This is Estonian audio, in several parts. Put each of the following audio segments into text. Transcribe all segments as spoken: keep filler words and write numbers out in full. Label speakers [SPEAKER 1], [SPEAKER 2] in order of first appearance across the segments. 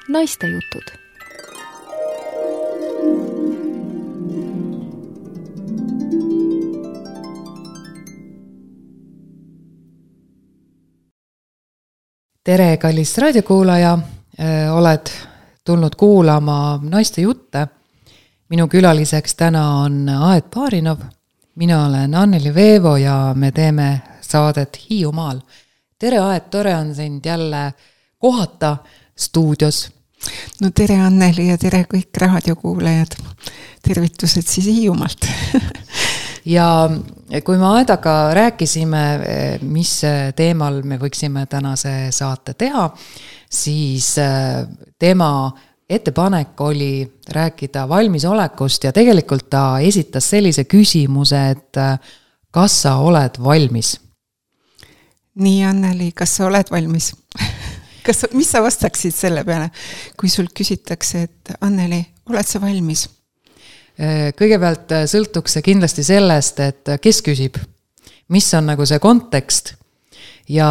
[SPEAKER 1] Naistejutud.
[SPEAKER 2] Tere, kallis raadiokuulaja, oled tulnud kuulama naiste jutte. Minu külaliseks täna on Aet Baarinov. Mina olen Anneli Veevo ja me teeme saadet Hiiumaal. Tere Aet, tore on sind jälle kohata stuudios.
[SPEAKER 3] No tere Anneli ja tere kõik raadiokuulajad. Tervitused siis Hiiumaalt.
[SPEAKER 2] Ja kui me Aedaga rääkisime, mis teemal me võiksime tänase saate teha, siis tema ettepanek oli rääkida valmisolekust ja tegelikult ta esitas sellise küsimuse, et kas sa oled valmis?
[SPEAKER 3] Nii, Anneli, kas sa oled valmis? Kas, mis sa vastaksid selle peale, kui sul küsitakse, et Anneli, oled sa valmis?
[SPEAKER 2] Kõigepealt sõltuks see kindlasti sellest, et kes küsib, mis on nagu see kontekst ja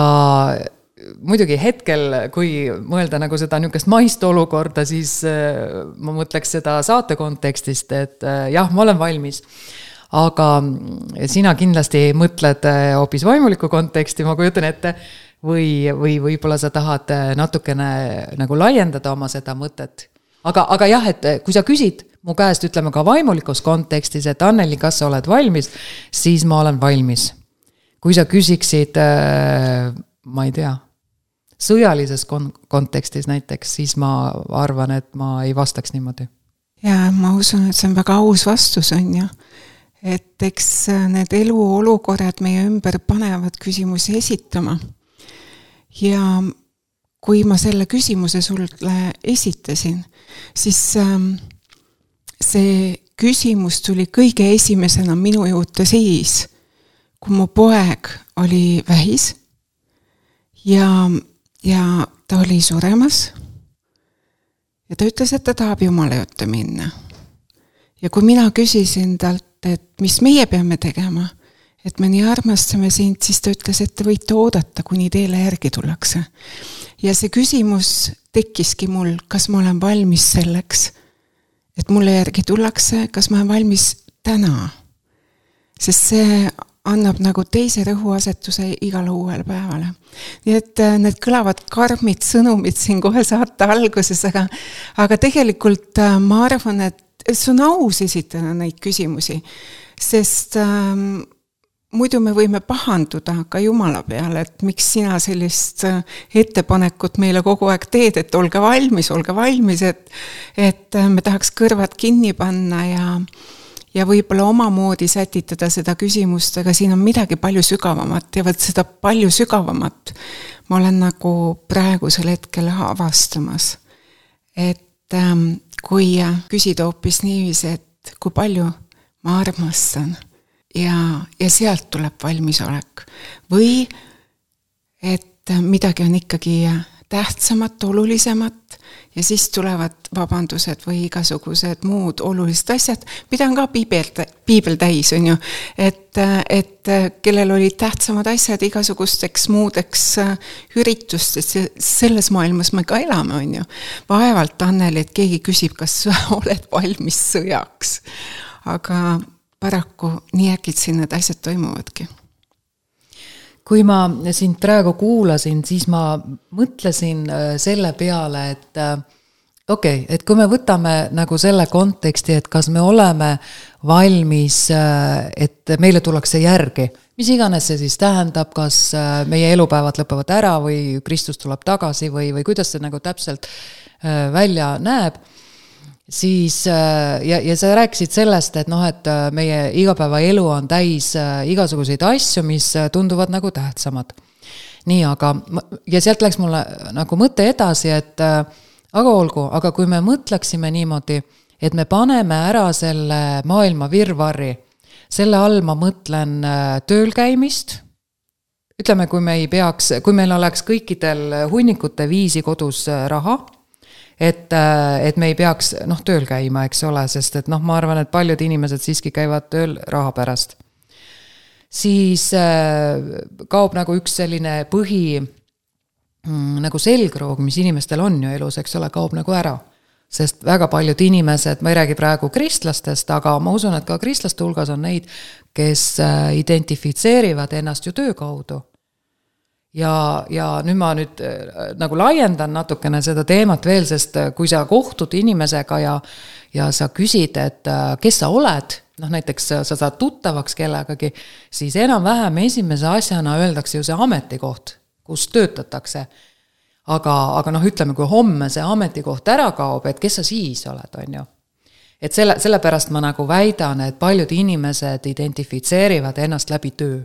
[SPEAKER 2] muidugi hetkel, kui mõelda nagu seda niisugust maist olukorda, siis ma mõtleks seda saate kontekstist, et jah, ma olen valmis. Aga sina kindlasti mõtled hoopis vaimuliku konteksti, ma kujutan ette, või, või võib-olla sa tahad natukene nagu laiendada oma seda mõtet. Aga, aga jah, et kui sa küsid mu käest, ütleme ka vaimulikus kontekstis, et Anneli, kas sa oled valmis, siis ma olen valmis. Kui sa küsiksid, ma ei tea, sõjalises kon- kontekstis näiteks, siis ma arvan, et ma ei vastaks niimoodi.
[SPEAKER 3] Ja ma usun, et see on väga aus vastus on ju. Et eks need elu olukorrad meie ümber panevad küsimusi esitama. Ja kui ma selle küsimuse sulle esitasin, siis see küsimus tuli kõige esimesena minu juurde siis, kui mu poeg oli vähis ja Ja ta oli suremas ja ta ütles, et ta tahab Jumala juurde minna. Ja kui mina küsisin talt, et mis meie peame tegema, et me nii armastame sind, siis ta ütles, et te võite oodata, kuni teile järgi tullakse. Ja see küsimus tekkiski mul, kas ma olen valmis selleks, et mulle järgi tullakse, kas ma olen valmis täna. Sest see annab nagu teise rõhuasetuse igale uuele päevale. Nii et need kõlavad karmid sõnumid siin kohe saate alguses, aga, aga tegelikult ma arvan, et see on aus esitada neid küsimusi, sest ähm, muidu me võime pahanduda ka Jumala peale, et miks sina sellist ettepanekut meile kogu aeg teed, et olge valmis, olge valmis, et, et me tahaks kõrvad kinni panna ja ja võib-olla omamoodi sätitada seda küsimust, aga siin on midagi palju sügavamat ja võt seda palju sügavamat ma olen nagu praegusel hetkel avastamas. Et ähm, kui küsida hoopis niiviisi, et kui palju ma armastan ja, ja sealt tuleb valmisolek või et midagi on ikkagi tähtsamat, olulisemat ja siis tulevad vabandused või igasugused muud olulised asjad, mida on ka piibel, piibel täis, on ju, et, et kellel olid tähtsamad asjad igasugusteks muudeks üritustest, selles maailmas me ka elame, on ju. Vaevalt, Anneli, et keegi küsib, kas oled valmis sõjaks, aga paraku nii äkitsi need asjad toimuvadki.
[SPEAKER 2] Kui ma sind praegu kuulasin, siis ma mõtlesin selle peale, et okei, okay, et kui me võtame nagu selle konteksti, et kas me oleme valmis, et meile tullakse järgi, mis iganes see siis tähendab, kas meie elupäevad lõpevad ära või Kristus tuleb tagasi või, või kuidas see nagu täpselt välja näeb, siis ja, ja sa rääkisid sellest, et noh, et meie igapäeva elu on täis igasuguseid asju, mis tunduvad nagu tähtsamad. Nii, aga ja sealt läks mulle nagu mõte edasi, et aga olgu, aga kui me mõtleksime niimoodi, et me paneme ära selle maailma virvarri, selle all ma mõtlen tööl käimist, ütleme, kui me ei peaks, kui meil oleks kõikidel hunnikute viisi kodus raha, et, et me ei peaks noh, tööl käima, eks ole, sest et noh, ma arvan, et paljud inimesed siiski käivad tööl raha pärast. Siis kaob nagu üks selline põhi mm, nagu selgroog, mis inimestel on ju elus, eks ole, kaob nagu ära. Sest väga paljud inimesed, ma ei räägi praegu kristlastest, aga ma usun, et ka kristlaste hulgas on neid, kes identifitseerivad ennast ju töö kaudu. Ja, ja nüüd ma nüüd nagu laiendan natukene seda teemat veel, sest kui sa kohtud inimesega ja, ja sa küsid, et kes sa oled, noh näiteks sa saad tuttavaks kellegagi, siis enam-vähem esimese asjana öeldakse ju see ametikoht, kus töötatakse. Aga, aga noh, ütleme, kui homme see ametikoht ära kaob, et kes sa siis oled, on ju. Et selle, selle pärast ma nagu väidan, et paljud inimesed identifitseerivad ennast läbi töö.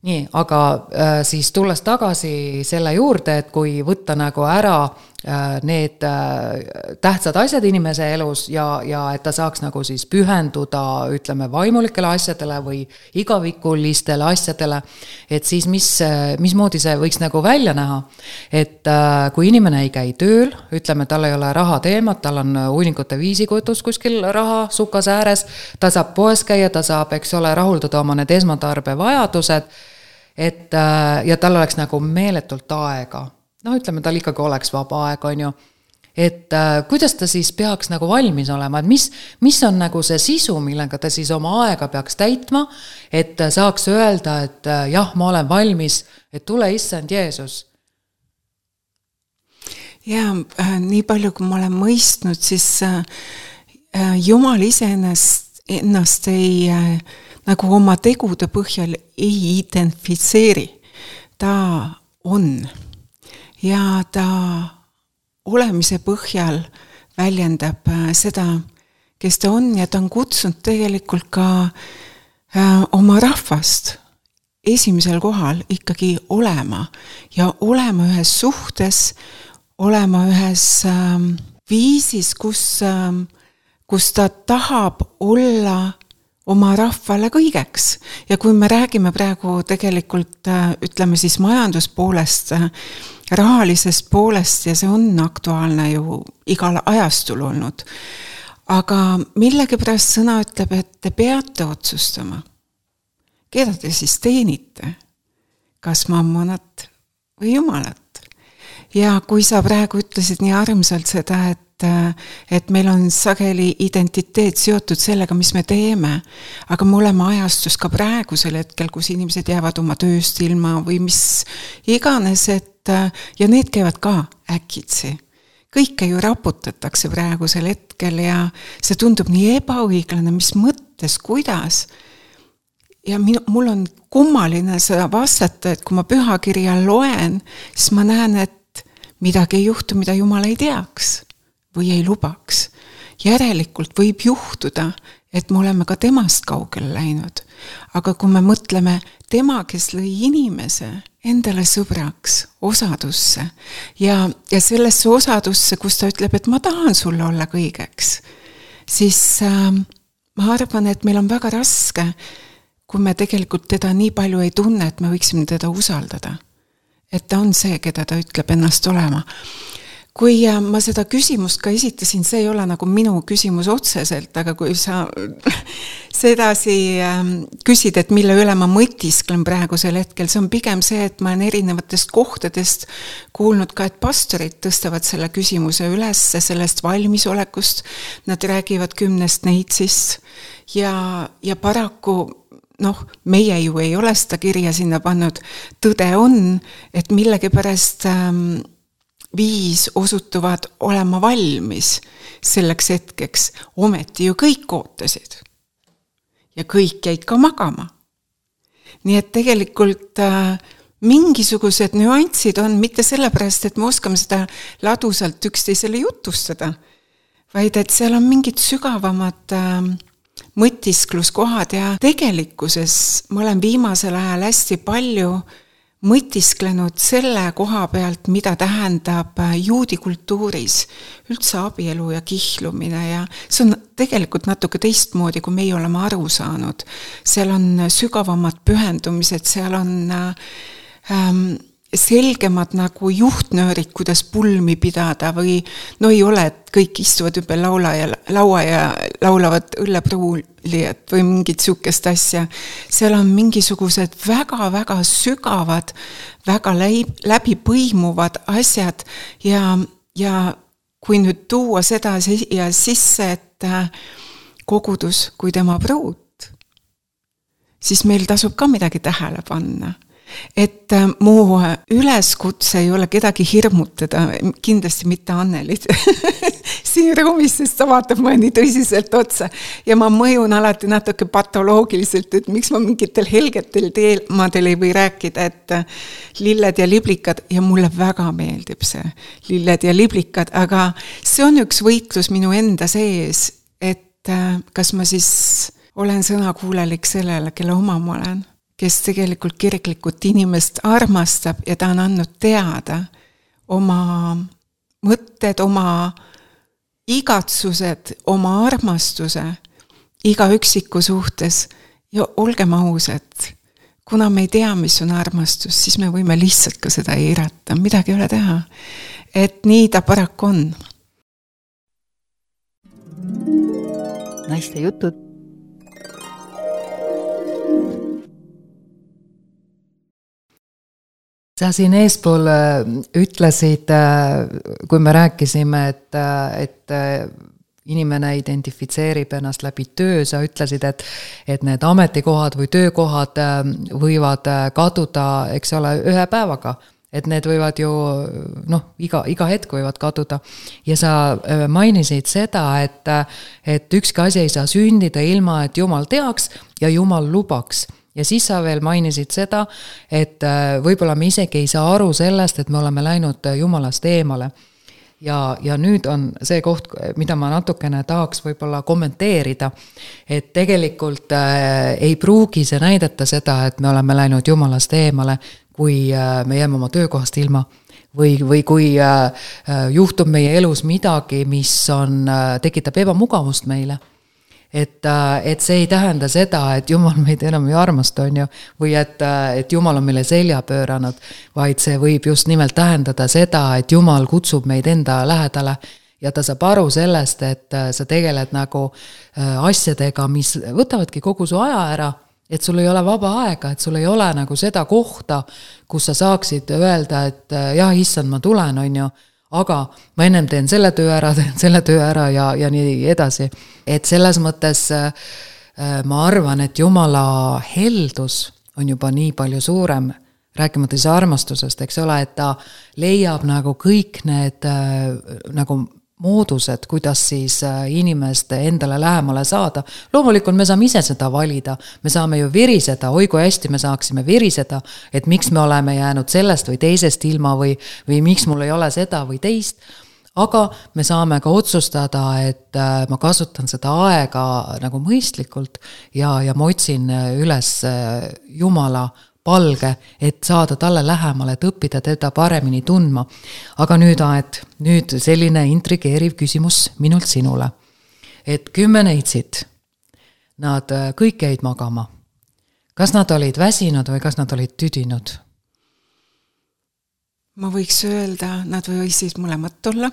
[SPEAKER 2] Nii, aga äh, siis tulles tagasi selle juurde, et kui võtta nagu ära äh, need äh, tähtsad asjad inimese elus ja, ja et ta saaks nagu siis pühenduda, ütleme, vaimulikele asjadele või igavikulistele asjadele, et siis mis, mismoodi see võiks nagu välja näha. Et äh, kui inimene ei käi tööl, ütleme, tal ei ole raha teemat, tal on uunikute viisikutus kuskil raha sukas ääres, ta saab poes käia, ta saab, eks ole, rahuldada oma need esmatarbe vajadused, et ja tal oleks nagu meeletult aega. No ütleme, tal ikkagi oleks vaba aeg, on ju. Et kuidas ta siis peaks nagu valmis olema, et mis, mis on nagu see sisu, millega ta siis oma aega peaks täitma, et saaks öelda, et jah, ma olen valmis, et tule issand Jeesus.
[SPEAKER 3] Ja nii palju, kui ma olen mõistnud, siis Jumal ise ennast, ennast ei nagu oma tegude põhjal ei identifitseeri. Ta on ja ta olemise põhjal väljendab seda, kes ta on ja ta on kutsunud tegelikult ka oma rahvast esimesel kohal ikkagi olema ja olema ühes suhtes, olema ühes viisis, kus, kus ta tahab olla oma rahvale kõigeks. Ja kui me räägime praegu tegelikult, ütleme siis majanduspoolest, rahalisest poolest ja see on aktuaalne ju igal ajastul olnud. Aga millegi pärast sõna ütleb, et te peate otsustama. Keda te siis teenite? Kas mammonat või Jumalat? Ja kui sa praegu ütlesid nii armsalt seda, et et meil on sageli identiteet seotud sellega, mis me teeme, aga me oleme ajastus ka praegusel hetkel, kus inimesed jäävad oma tööst ilma või mis iganes, et ja need käivad ka äkitsi. Kõike ju raputatakse praegusel hetkel ja see tundub nii ebaõiglane, mis mõttes, kuidas. Ja minu, mul on kummaline seda vastata, et kui ma pühakirja loen, siis ma näen, et midagi ei juhtu, mida Jumal ei teaks või ei lubaks. Järelikult võib juhtuda, et me oleme ka temast kaugele läinud. Aga kui me mõtleme tema, kes lõi inimese endale sõbraks, osadusse ja, ja sellesse osadusse, kus ta ütleb, et ma tahan sulle olla kõigeks, siis äh, ma arvan, et meil on väga raske, kui me tegelikult teda nii palju ei tunne, et me võiksime teda usaldada. Et ta on see, keda ta ütleb ennast olema. Kui ma seda küsimust ka esitasin, see ei ole nagu minu küsimus otseselt, aga kui sa sedasi küsid, et mille üle ma mõtisklen praegusel hetkel, see on pigem see, et ma olen erinevatest kohtadest kuulnud ka, et pastorid tõstavad selle küsimuse üles sellest valmisolekust, nad räägivad kümnest neitsist ja, ja paraku noh, meie ju ei ole seda kirja sinna pannud, tõde on, et millegi pärast ähm, viis osutuvad olema valmis selleks hetkeks, ometi ju kõik ootasid. Ja kõik jäid ka magama. Nii et tegelikult äh, mingisugused nüansid on mitte sellepärast, et me oskame seda ladusalt üksteisele jutustada, vaid et seal on mingid sügavamad äh, mõtiskluskohad ja tegelikkuses ma olen viimasel ajal hästi palju mõtisklenud selle koha pealt, mida tähendab juudi kultuuris üldse abielu ja kihlumine ja see on tegelikult natuke teistmoodi, kui meie oleme aru saanud. Seal on sügavamad pühendumised, seal on ähm, selgemad nagu juhtnöörid, kuidas pulmi pidada või no ei ole, et kõik istuvad ümber laula ja laua ja laulavad õllepruulijat või mingit sükest asja. Seal on mingisugused väga-väga sügavad, väga läbi põimuvad asjad ja, ja kui nüüd tuua seda ja sisse, et kogudus kui tema pruut, siis meil tasub ka midagi tähele panna. Et mu üleskutse ei ole kedagi hirmutada, kindlasti mitte Annelit siin ruumis, sest ta vaatab ma nii tõsiselt otsa ja ma mõjun alati natuke patoloogiliselt, et miks ma mingitel helgetel teemadel ei või rääkida, et lilled ja liblikad ja mulle väga meeldib see lilled ja liblikad, aga see on üks võitlus minu enda sees, et kas ma siis olen sõnakuulelik sellele, kelle oma ma olen, kes tegelikult kiriklikult inimest armastab ja ta on andnud teada oma mõtted, oma igatsused, oma armastuse iga üksiku suhtes ja olgem ausad, kuna me ei tea, mis on armastus, siis me võime lihtsalt ka seda eirata, midagi ei ole teha. Et nii ta paraku on.
[SPEAKER 1] Naiste jutud.
[SPEAKER 2] Sa siin eespool ütlesid, kui me rääkisime, et, et inimene identifitseerib ennast läbi töö, sa ütlesid, et, et need ametikohad või töökohad võivad kaduda, eks ole, ühe päevaga. Et need võivad ju, noh, iga, iga hetk võivad kaduda. Ja sa mainisid seda, et, et ükski asi ei saa sündida ilma, et Jumal teaks ja Jumal lubaks. Ja siis sa veel mainisid seda, et võib-olla me isegi ei saa aru sellest, et me oleme läinud Jumalast eemale. Ja, ja nüüd on see koht, mida ma natukene tahaks võib-olla kommenteerida, et tegelikult ei pruugi see näidata seda, et me oleme läinud Jumalast eemale, kui me jääme oma töökohast ilma või, või kui juhtub meie elus midagi, mis on, tekitab ebamugavust meile. Et, et see ei tähenda seda, et Jumal meid enam ei armasta, on ju, või et, et Jumal on meile selja pööranud, vaid see võib just nimelt tähendada seda, et Jumal kutsub meid enda lähedale ja ta saab aru sellest, et sa tegeled nagu asjadega, mis võtavadki kogu su aja ära, et sul ei ole vaba aega, et sul ei ole nagu seda kohta, kus sa saaksid öelda, et jah, issand, ma tulen, on ju, aga ma ennem teen selle töö ära, teen selle töö ära ja, ja nii edasi. Et selles mõttes ma arvan, et Jumala heldus on juba nii palju suurem, rääkimata siis armastusest, eks ole, et ta leiab nagu kõik need nagu moodused, kuidas siis inimest endale lähemale saada. Loomulikult me saame ise seda valida, me saame ju viriseda, oi kui hästi me saaksime viriseda, et miks me oleme jäänud sellest või teisest ilma või, või miks mul ei ole seda või teist, aga me saame ka otsustada, et ma kasutan seda aega nagu mõistlikult ja, ja ma otsin üles Jumala palge, et saada talle lähemale, et õppida teda paremini tundma. Aga nüüd, Aet, nüüd selline intrigeeriv küsimus minult sinule. Et kümme neitsid, nad kõik jäid magama. Kas nad olid väsinud või kas nad olid tüdinud?
[SPEAKER 3] Ma võiks öelda, nad võisid mõlemat olla.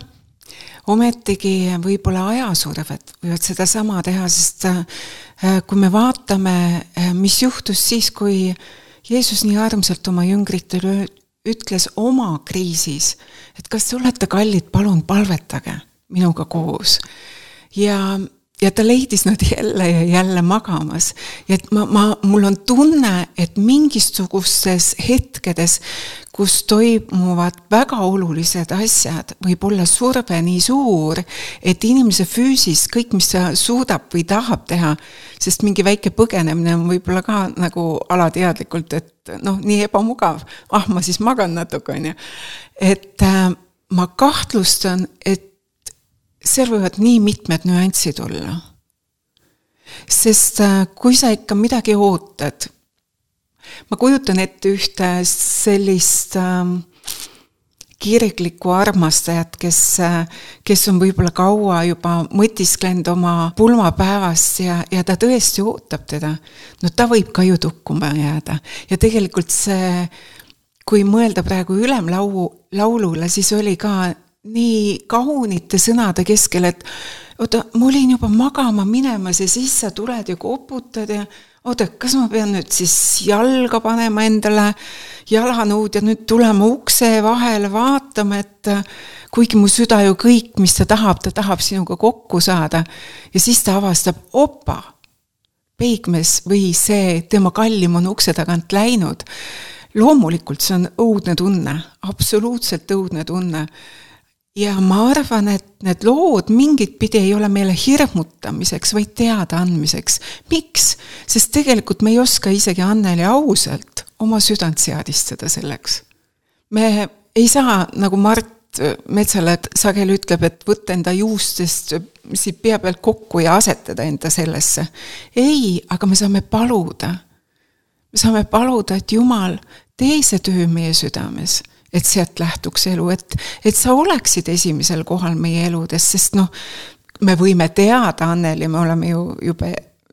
[SPEAKER 3] Ometigi võib-olla ajasurvet võivad seda sama teha, sest kui me vaatame, mis juhtus siis, kui Jeesus nii armsalt oma jüngritele ütles oma kriisis, et kas te olete kallid, palun palvetage minuga koos. Ja, ja ta leidis nad jälle ja jälle magamas. Ja et ma, ma, mul on tunne, et mingisugustes hetkedes, kus toimuvad väga olulised asjad, võib olla surve nii suur, et inimese füüsis kõik, mis ta suudab või tahab teha, sest mingi väike põgenemine on võib-olla ka nagu alateadlikult, et noh, nii ebamugav, ah, ma siis magan natuke, on ju. Et äh, ma kahtlustan, et seal võivad nii mitmed nüansid olla. Sest äh, kui sa ikka midagi ootad, ma kujutan ette ühte sellist äh, kiriklikku armastajat, kes, kes on võib-olla kaua juba mõtisklenud oma pulmapäevast ja, ja ta tõesti ootab teda. No ta võib ka ju tukkuma jääda. Ja tegelikult see, kui mõelda praegu ülemlaulu, laulule, siis oli ka nii kaunite sõnade keskel, et oota, ma olin juba magama minemas ja siis sa tuled ja koputad ja oota, kas ma pean nüüd siis jalga panema endale jalanõud ja nüüd tulema ukse vahele vaatama, et kuigi mu süda ju kõik, mis ta tahab, ta tahab sinuga kokku saada ja siis ta avastab, opa, peigmees või see tema kallim on ukse tagant läinud. Loomulikult see on õudne tunne, absoluutselt õudne tunne. Ja ma arvan, et need lood mingit pidi ei ole meile hirmutamiseks, vaid teada andmiseks. Miks? Sest tegelikult me ei oska isegi Anneli ausalt oma südant seadistada selleks. Me ei saa, nagu Mart Metsale sageli ütleb, et võtta enda juustest siit pea pealt kokku ja asetada enda sellesse. Ei, aga me saame paluda. Me saame paluda, et Jumal tee see töö meie südames, et sealt lähtuks elu, et, et sa oleksid esimesel kohal meie eludes, sest noh, me võime teada, Anneli, me oleme ju juba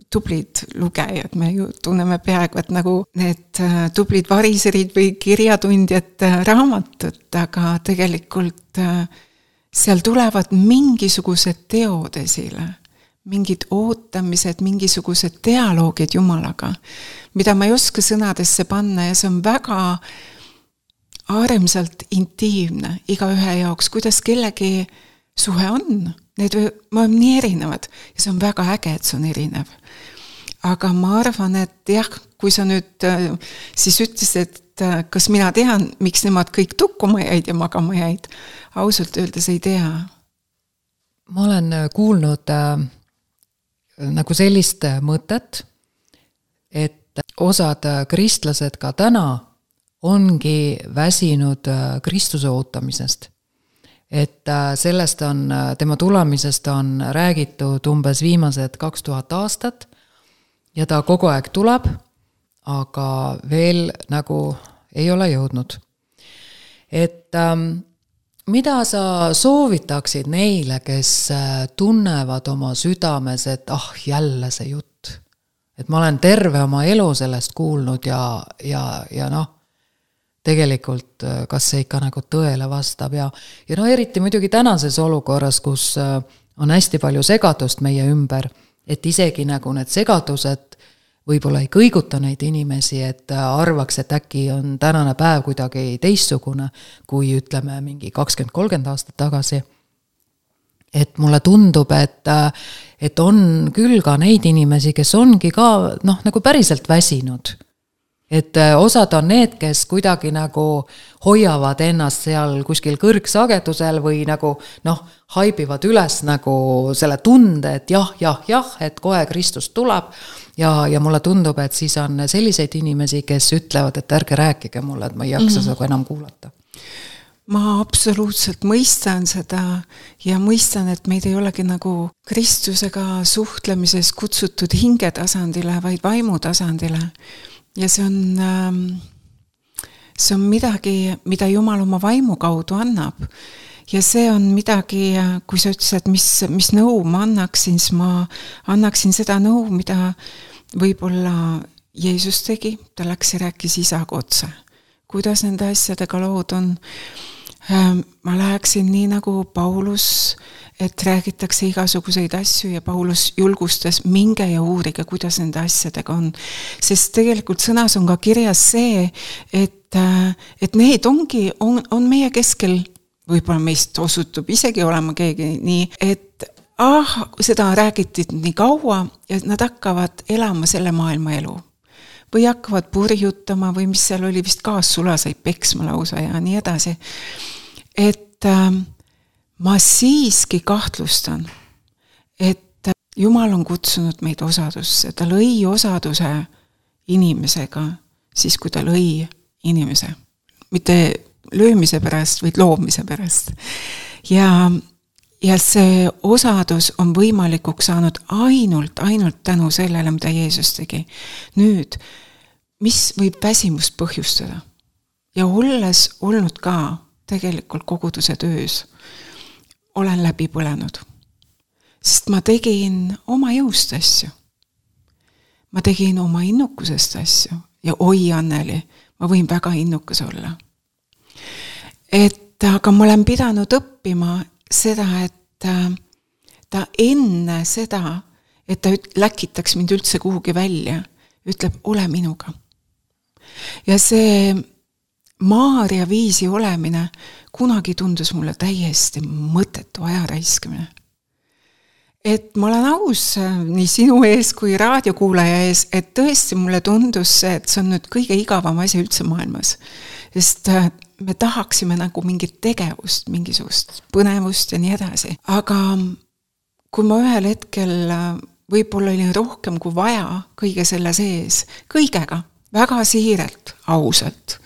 [SPEAKER 3] tublid lugejad, me ju tunneme peaaegu, et nagu need tublid variserid või kirjatundjad raamatut, aga tegelikult seal tulevad mingisugused teod esile, mingid ootamised, mingisugused dialoogid Jumalaga, mida ma ei oska sõnadesse panna ja see on väga armsalt intiimne iga ühe jaoks, kuidas kellegi suhe on. Need on nii erinevad ja see on väga äge, et see on erinev. Aga ma arvan, et jah, kui sa nüüd siis ütlesid, et kas mina tean, miks nemad kõik tukkuma jäid ja magama jäid, ausalt öeldes ei tea.
[SPEAKER 2] Ma olen kuulnud äh, nagu sellist mõtet, et osad kristlased ka täna ongi väsinud Kristuse ootamisest. Et sellest on, tema tulemisest on räägitud umbes viimased kaks tuhat aastat ja ta kogu aeg tuleb, aga veel nagu ei ole jõudnud. Et ähm, mida sa soovitaksid neile, kes tunnevad oma südames, et ah, jälle see jutt. Et ma olen terve oma elu sellest kuulnud ja, ja, ja noh, tegelikult kas see ikka nagu tõele vastab ja, ja no eriti muidugi tänases olukorras, kus on hästi palju segadust meie ümber, et isegi nagu need segadused võib-olla ei kõiguta neid inimesi, et arvaks, et äkki on tänane päev kuidagi teistsugune, kui ütleme mingi kakskümmend kolmkümmend aastat tagasi. Et mulle tundub, et, et on küll ka neid inimesi, kes ongi ka noh, nagu päriselt väsinud. Et osad on need, kes kuidagi nagu hoiavad ennast seal kuskil kõrgsagedusel või nagu noh, haibivad üles nagu selle tunde, et jah, jah, jah, et kohe Kristus tuleb ja, ja mulle tundub, et siis on selliseid inimesi, kes ütlevad, et ärge rääkige mulle, et ma ei jaksa mm-hmm. seda enam kuulata.
[SPEAKER 3] Ma absoluutselt mõistan seda ja mõistan, et meid ei olegi nagu Kristusega suhtlemises kutsutud hingetasandile, vaid vaimutasandile. Ja see on, see on midagi, mida Jumal oma vaimu kaudu annab. Ja see on midagi, kui sa ütlesid, mis, mis nõu ma annaksin, siis ma annaksin seda nõu, mida võib-olla Jeesus tegi. Ta läks ja rääkis isaga otse. Kuidas nende asjadega lood on? Ma läheksin nii nagu Paulus, et räägitakse igasuguseid asju ja Paulus julgustas minge ja uurige, kuidas nende asjadega on. Sest tegelikult sõnas on ka kirjas see, et, et need ongi, on, on meie keskel, võib-olla meist osutub isegi olema keegi nii, et ah, seda räägiti nii kaua ja nad hakkavad elama selle maailma elu. Või hakkavad purjutama või mis seal oli vist kaassulaseid peksma lausa ja nii edasi. Et äh, ma siiski kahtlustan, et Jumal on kutsunud meid osadusse. Ta lõi osaduse inimesega, siis kui ta lõi inimese. Mitte löömise pärast, vaid loomise pärast. Ja, ja see osadus on võimalikuks saanud ainult, ainult tänu sellele, mida Jeesus tegi. Nüüd, mis võib väsimust põhjustada? Ja olles olnud ka tegelikult koguduse töös, olen läbi põlenud. Sest ma tegin oma jõust asju. Ma tegin oma innukusest asju. Ja oi, Anneli, ma võin väga innukas olla. et aga ma olen pidanud õppima seda, et ta enne seda, et ta läkitaks mind üldse kuhugi välja, ütleb, ole minuga. Ja see Maarja viisi olemine kunagi tundus mulle täiesti mõttetu ajaraiskimine. Et ma olen aus nii sinu ees kui raadiokuulaja ees, et tõesti mulle tundus see, et see on nüüd kõige igavam asi üldse maailmas. Sest me tahaksime nagu mingit tegevust, mingisugust põnevust ja nii edasi. Aga kui ma ühel hetkel võib-olla oli rohkem kui vaja kõige selle sees, kõigega, väga siirelt, ausalt,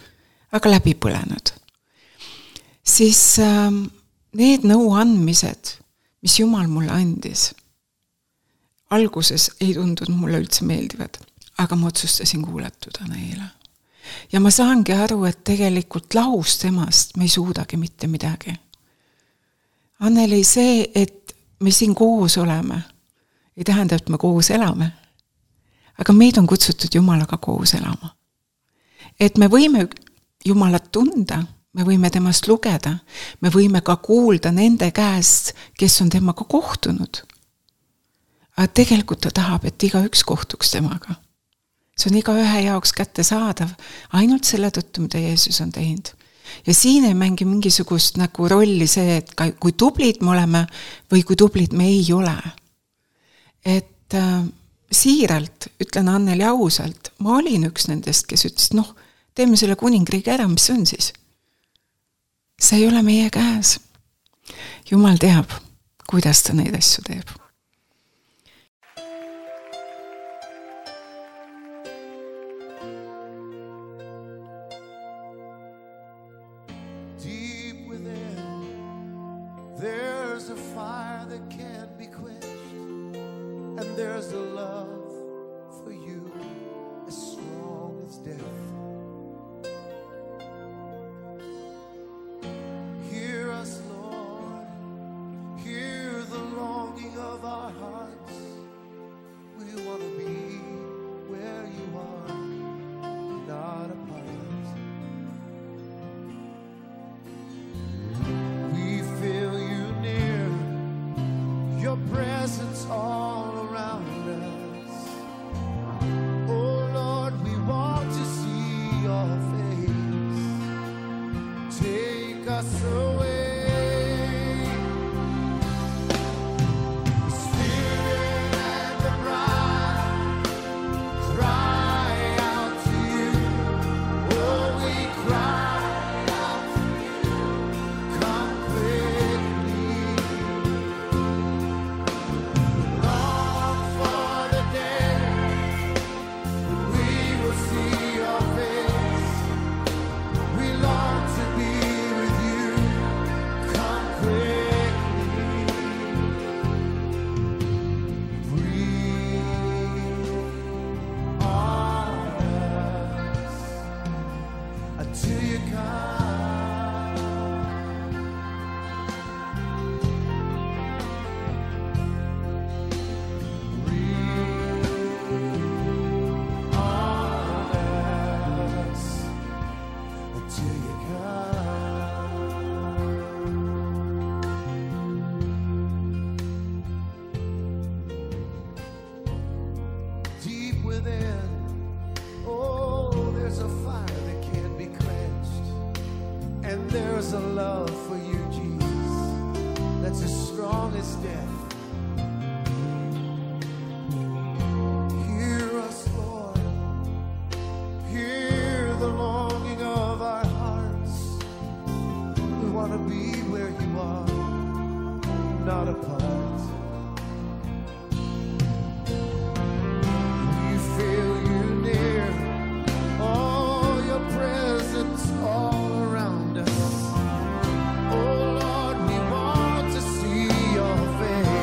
[SPEAKER 3] aga läbi põlenud, siis need nõuandmised, mis Jumal mulle andis, alguses ei tundunud mulle üldse meeldivad, aga ma otsustasin kuulatuda neile. Ja ma saangi aru, et tegelikult lahus temast me ei suudagi mitte midagi. Anneli, see, et me siin koos oleme, ei tähenda, et me koos elame, aga meid on kutsutud Jumalaga koos elama. Et me võime Jumalat tunda, me võime temast lugeda, me võime ka kuulda nende käest, kes on temaga kohtunud. Aga tegelikult ta tahab, et iga üks kohtuks temaga. See on iga ühe jaoks kätte saadav, ainult selle tõttu, mida Jeesus on teinud. Ja siin ei mängi mingisugust nagu rolli see, et kui tublid me oleme või kui tublid me ei ole. Et äh, siiralt, ütlen Anneli ausalt, ma olin üks nendest, kes ütles, noh, teeme selle kuningriigi ära, mis on siis? See ei ole meie käes. Jumal teab, kuidas ta neid asju teeb.
[SPEAKER 1] Deep within, there's a fire that can't be quenched, and there's a love for you as strong as death. Hear us, Lord, hear the longing of our hearts. We want to be where you are, not apart. We feel you near, your presence all around us. Oh Lord, we want to see your face. Take us away. The Spirit and the bride cry out to you. Oh, we cry out to you. Come quickly. Long for the day we will see your face. We long to be with you. Come quickly. Breathe on us until you come. Breathe on us until you come. Deep within, oh, there's a fire that can't be quenched, and there's a love for you, Jesus, that's as strong as death. Hear us, Lord, hear the longing of our hearts. We want to be where you are, not apart. We feel you near, oh, your presence all around us. Oh Lord, we want to see your face.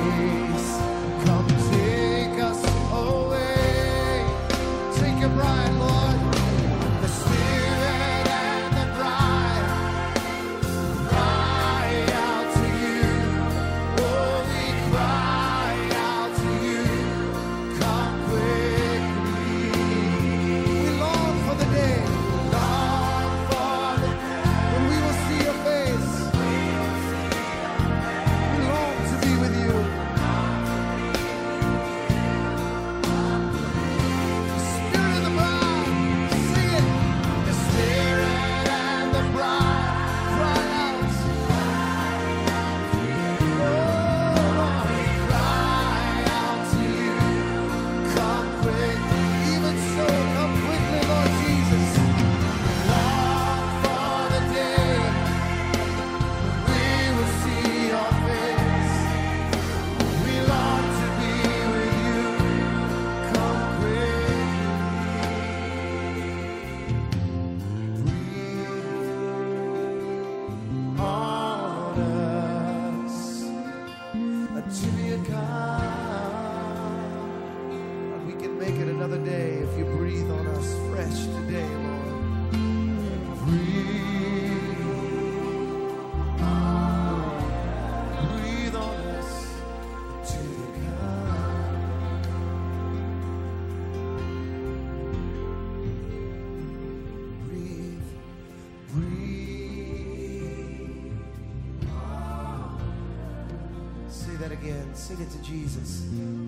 [SPEAKER 1] again. Sing it to Jesus.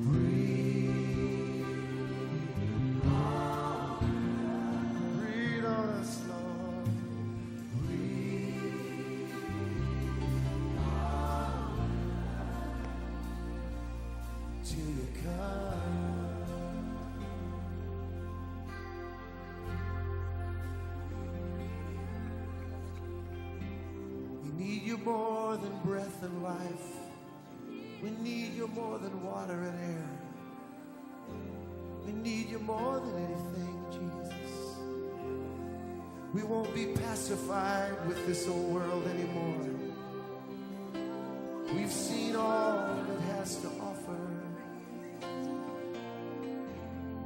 [SPEAKER 1] Breathe. Breathe on us, Lord. Breathe till you come. We need you more than breath and life. We need you more than water and air. We need you more than anything, Jesus. We won't be pacified with this old world anymore. We've seen all it has to offer.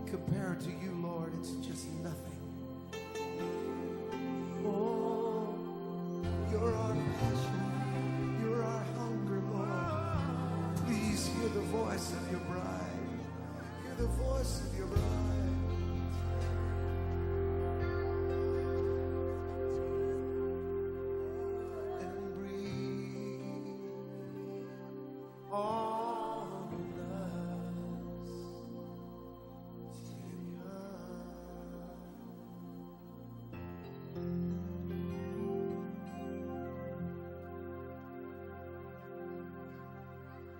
[SPEAKER 1] Compared to you, Lord, it's just nothing. Oh, you're our passion. You're our hunger, Lord. Please hear the voice of your bride. Hear the voice of your bride. And breathe on us till you come.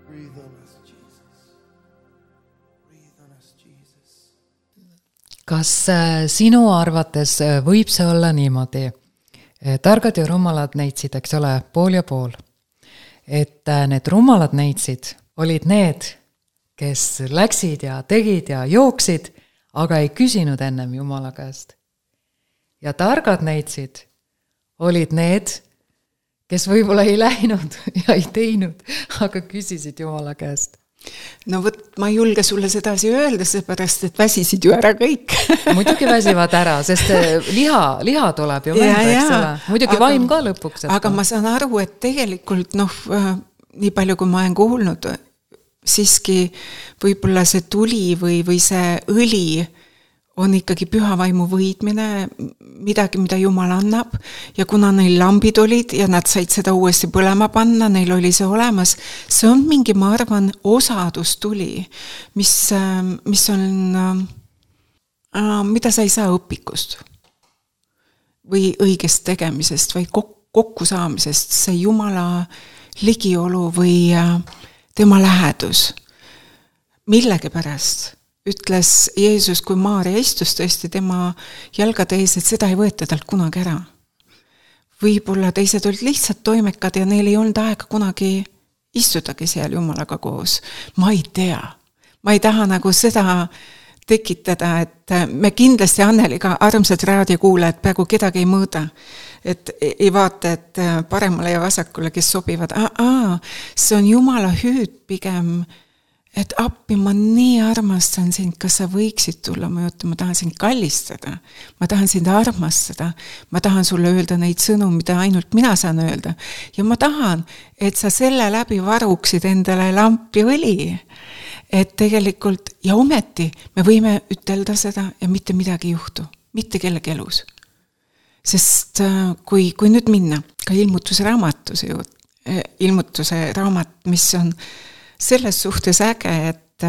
[SPEAKER 1] Breathe on us, Jesus. Breathe on us, Jesus.
[SPEAKER 2] Kas äh, sinu arvates äh, võib see olla niimoodi? Äh, targad ja rumalad neitsid, eks ole, pool ja pool. Et äh, need rumalad neitsid olid need, kes läksid ja tegid ja jooksid, aga ei küsinud ennem Jumala käest. Ja targad neitsid olid need, kes võib-olla ei läinud ja ei teinud, aga küsisid Jumala käest.
[SPEAKER 3] No võt, ma ei julge sulle sedasi öelda, seepärast, et väsisid ju ära kõik.
[SPEAKER 2] Muidugi väsivad ära, sest liha, liha tuleb ju mõnda, eks ole. Muidugi aga, vaim ka lõpuks.
[SPEAKER 3] Aga ma saan aru, et tegelikult, noh, nii palju kui ma olen kuulnud, siiski võib-olla see tuli või, või see õli on ikkagi püha vaimu võidmine, midagi, mida Jumal annab, ja kuna neil lambid olid ja nad said seda uuesti põlema panna, neil oli see olemas, see on mingi, ma arvan, osadus tuli, mis, mis on, mida sa ei saa õpikust või õigest tegemisest või kokku saamisest, see Jumala ligiolu või tema lähedus. Millegi pärast ütles Jeesus, kui Maaria istus tõesti tema jalgade ees, et seda ei võeta talt kunagi ära. Võib-olla teised olid lihtsalt toimekad ja neil ei olnud aega kunagi istutagi seal Jumalaga koos. Ma ei tea. Ma ei taha nagu seda tekitada, et me kindlasti Anneliga armsad raadiokuulajad peaaegu kedagi ei mõõda. Et ei vaata, et paremale ja vasakule, kes sobivad. Aa, aa, see on Jumala hüüd pigem, et appi, ma nii armastan sind, kas sa võiksid tulla mu juurde, ma tahan sind kallistada, ma tahan sind armastada, ma tahan sulle öelda neid sõnu, mida ainult mina saan öelda. Ja ma tahan, et sa selle läbi varuksid endale lampi õli. Et tegelikult, ja ometi, me võime ütelda seda ja mitte midagi juhtu, mitte kellegi elus. Sest kui, kui nüüd minna ka ilmutuse raamatuse juurde, ilmutuse raamat, mis on selles suhtes äge, et,